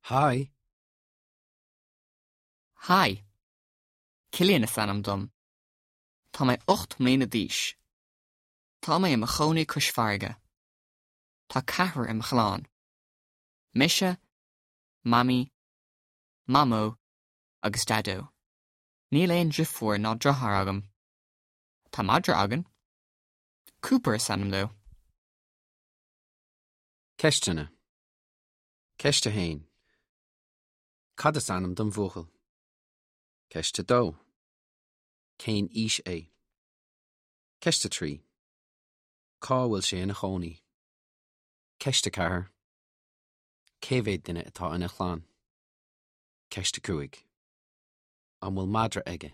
Haigh! Haigh! Cillian is ainm dom. Tá mé 8 mbliana d'aois. Tá mé i mo chónaí cois farraige. Tá ceathrar i mo chlann. Mise, Mamaí, Mamó agus Daideo. Níl aon driofúr ná driotháir agam. Tá madra againn. Cooper is ainm dó. Ceisteanna. Ceist 1. Cad is ainm don bhuachaill? Ceist 2. Cén aois é? Ceist 3. Cá bhfuil sé ina chónaí? Ceist 4. Cé mhéad duine atá ina chlann? Ceist 5. An bhfuil madra aige?